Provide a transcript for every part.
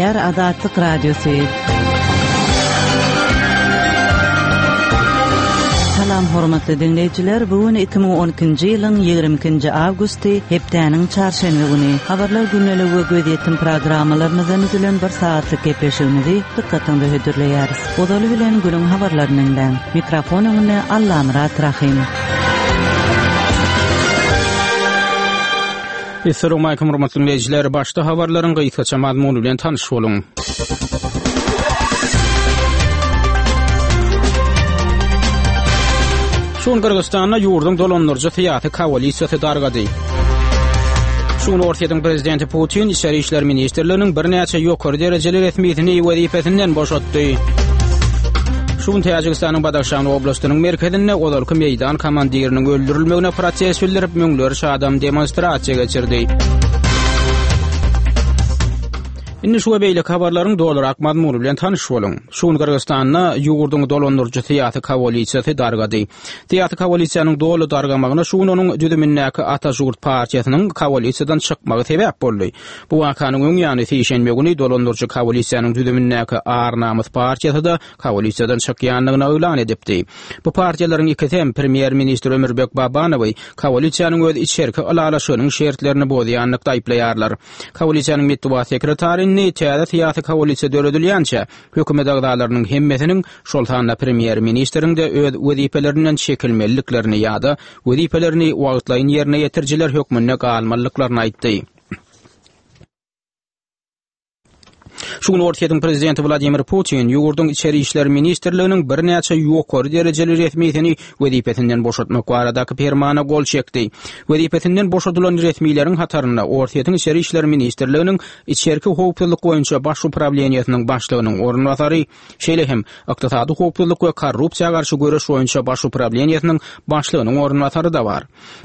Gepleýär Azatlyk Radiosy. Salam hormatly diňleýjiler, bu gün 2012-nji ýylyň 22-nji awgusty, hepdäniň çarşenbe güni. Habarlar gündeligi we gözýetim programmalarymyzdan düzülen bir sagatlyk gepleşigimizi dykgatyňyza hödürleýäris. Ozaly bilen günüň habarlaryny diňläň. Mikrofon öňünde Allamyrat Rahym. Essalawmalikim hormatly diňleýjiler! Başda habarlaryň gysgaça mazmuny bilen tanyş boluň. Şu gün Gyrgyzystanda ýurduň dolandyryjy syýasy koalisiýasy dargady. Şu gün Orsýetiň prezidenti Putin Içeri işler ministrliginiň birnäçe ýokary derejeli resmisini wezipesinden boşatdy. Şu gün Täjigistanyň Badahşan oblastynyň merkezinde ozalky meýdan komandiriniň öldürilmegine protest bildirip, müňlerçe adam demonstrasiýa geçirdi. Indi şu we beýleki habarlaryň dolurak mazmuny bilen tanyş boluň. Şu gün Gyrgyzystanda ýurduň dolandyryjy syýasy koalisiýasy dargady. Syýasy koalisiýanyň doly dargamagyna şu gün onuň düzümindäki Ata Žurt partiýasynyň koalisiýadan çykmagy sebäp boldy. Bu wakanyň öň ýany sişenbe güni dolandyryjy koalisiýanyň düzümindäki Ar-Namys partiýasy-da koalisiýadan çykýandygyny yglan edipdi. Bu partiýalaryň ikisi hem premýer-ministr Ömürbek Babanowy koalisiýanyň öz içerki ylalaşygynyň şertlerini bozýanlykda aýyplaýarlar. Koalisiýanyň metbugat sekretary indi täze syýasy koalisiýa döredilýänçä, hökümet agzalarynyň hemmesiniň, şol sanda premýer-ministriň-de öz wezipelerinden çekilmeliliklerini ýa-da wezipelerini wagtlaýyn ýerine ýetirijiler hökmünde galmalydyklaryny aýtdy. Şu gün Orsýetiň prezidenti Wladimir Putin ýurduň Içeri işler ministrliginiň birnäçe ýokary derejeli resmisini wezipesinden boşatmak baradaky permana gol çekdi. Wezipesinden boşadylan resmileriň hatarynda Orsýetiň Içeri işler ministrliginiň Içerki howpsuzlyk boýunça baş uprawleniýesiniň başlygynyň orunbasary, şeýle hem Ykdysady howpsuzlyk we korrupsiýa garşy göreş boýunça baş uprawleniýesiniň başlygynyň orunbasary-da bar.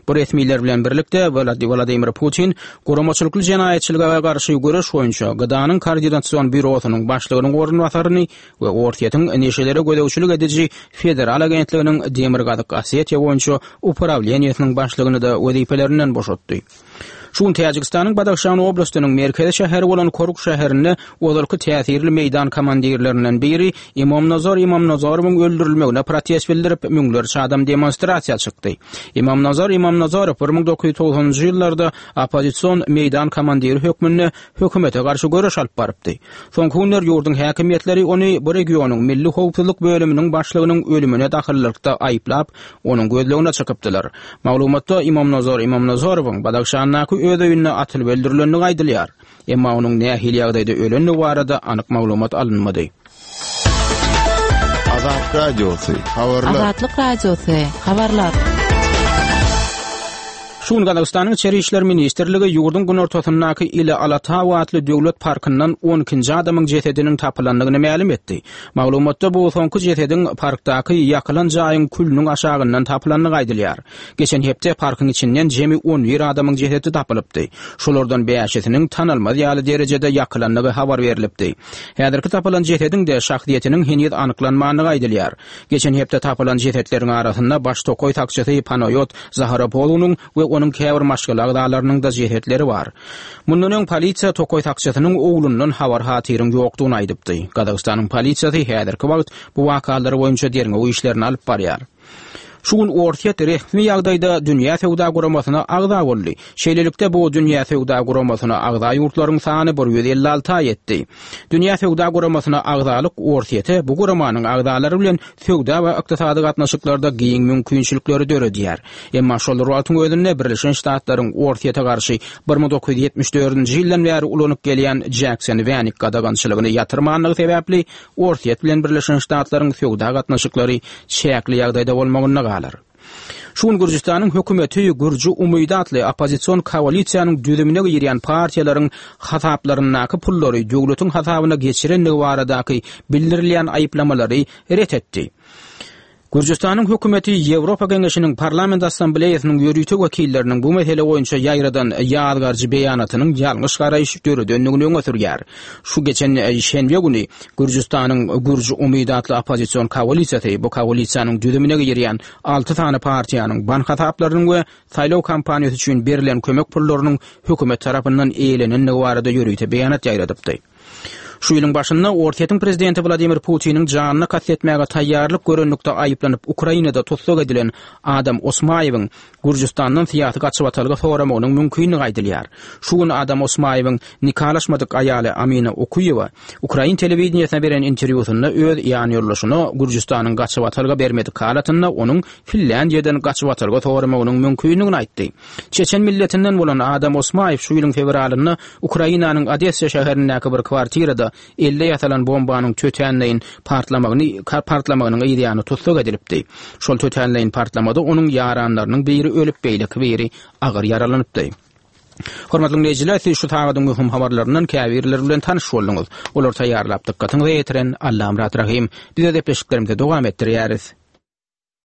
Bu resmiler bilen birlikde Wladimir Putin guramaçylykly jenaýatçylyga garşy göreş boýunça GDA-nyň Koordinasion býurosynyň başlygynyň orunbasaryny we Orsýetiň neşelere gözegçilik ediji federal agentliginiň Demirgazyk Osetiýa boýunça uprawleniýesiniň başlygyny-da wezipelerinden boşatdy. Şu gün Täjigistanyň Badahşan oblastynyň merkezi şäheri bolan Koruk şäherinde ozalky täsirli meýdan komandirlerinden biri Imomnazar Imomnazarowyň öldürilmegine protest bildirip, müňlerçe adam demonstrasiýa çykdy. Imomnazar Imomnazarow 1990-njy ýyllarda oppozision meýdan komandiri hökmünde hökümete garşy göreş alyp barypdy. Soňky günler ýurduň häkimiýetleri ony bu regionyň milli howpsuzlyk bölüminiň başlygynyň ölümine dahyllylykda aýyplap, onuň gözlegine çykypdylar. Maglumatda Imomnazar Imomnazarowyň Badahşandaky öz öýünde atylyp öldürilendigi aýdylýar. Emma onuň nähili ýagdaýda ölendigi barada anyk maglumat alynmady. Azatlyk Radiosy, habarlar. Azatlyk Radiosy, habarlar. Şu gün Gazagystanyň Içeri işler ministrligi ýurduň günortasyndaky Ile Alatau atly döwlet parkyndan on ikinji adamyň jesediniň tapylandygyny mälim etdi. Maglumatda bu soňky jesediň parkdaky ýakylan jaýyň külüniň aşagyndan tapylandygy aýdylýar. Geçen hepde parkyň içinden jemi on bir adamyň jesedi tapylypdy. Şolardan bäşisiniň tanalmaz ýaly derejede ýakylandygy habar berlipdi. Häzirki tapylan jesediň-de şahsyýetiniň heniz anyklanmandygy aýdylýar. Geçen hepde tapylan jesetleriň arasynda baş tokaý sakçysy Panaýot Zaharopolunyň we onuň käbir maşgala agzalarynyň-da jesetleri bar. Mundan öň polisiýa tokaý sakçysynyň oglundan habar-hatyryň ýokdugyny aýdypdy. Gazagystanyň polisiýasy häzirki wagt bu wakalar boýunça derňew işlerini alyp barýar. Şu gün Orsýet resmi ýagdaýda Dünýä Söwda Guramasyna agza boldy. Şeýlelikde, bu Dünýä Söwda Guramasyna agza ýurtlaryň sany 156-a ýetdi. Dünýä Söwda Guramasyna agzalyk Orsýete bu guramanyň agzalary bilen söwda we ykdysady gatnaşyklarda giň mümkinçilikleri döredýär. Emma şol bir wagtyň özünde Birleşen Ştatlaryň Orsýete garşy 1974-nji ýyldan bäri ulanyp gelýän Jekson-Wenik gadagançylygyny ýatyrmanlygy sebäpli Orsýet bilen Birleşen Ştatlaryň söwda gatnaşyklary çäkli ýagdaýda bolmagynda galar. Şu gün Gürjüstanyň hökümeti Gürji umydy atly oppozision koalisiýanyň düzümine girýän partiýalaryň hasaplaryndaky pullary döwletiň hasabyna geçirendigi baradaky bildirilýän aýyplamalary ret etdi. Gürjüstanyň hökümeti Ýewropa Geňeşiniň Parlament Assambleýasynyň ýörite wekilleriniň bu mesele boýunça ýaýradan ýazgaryjy beýanatynyň ýalňyş garaýyş döredendigini öňe sürýär. Şu geçen şenbe güni Gürjüstanyň Gürji umydy atly oppozision koalisiýasy bu koalisiýanyň düzümine girýän alty sany partiýanyň bank hasaplarynyň we saýlaw kampaniýasy üçin berlen kömek pullarynyň hökümet tarapyndan eýelenendigi barada ýörite beýanat ýaýradypdy. Şu ýylyň başynda Orsýetiň prezidenti Wladimir Putiniň janyna kast etmäge taýýarlyk görenlikde aýyplanyp Ukrainada tussag edilen Adam Osmaýewiň Gürjüstandan syýasy gaçybatalga soramagynyň mümkindigi aýdylýar. Şu gün Adam Osmaýewiň nikalaşmadyk aýaly Amina Okuýewa ukrain telewideniýesine beren interwýusynda öz ýanýoldaşyna Gürjüstanyň gaçybatalga bermedik halatynda onuň Finlýandiýadan gaçybatalga soramagynyň mümkindigini aýtdy. Çeçen milletinden bolan Adam Osmaýew şu ýylyň fewralynda Ukrainanyň Odessa şäherindäki bir kwartirada elde ýasalan bombanyň tötänleýin partlamagyny partlamagynyň yzýany tussag edilipdi. Şol tötänleýin partlamada onuň ýaranlarynyň biri ölüp, beýleki biri agyr ýaralanypdy. Hormatly diňleýjiler, siz şu sagadyň möhüm habarlaryndan käbirleri bilen tanyş bolduňyz. Olary taýýarlap dykgatyňyza ýetiren Allamyrat Rahym. Biz öz gepleşiklerimizi dowam etdirýäris.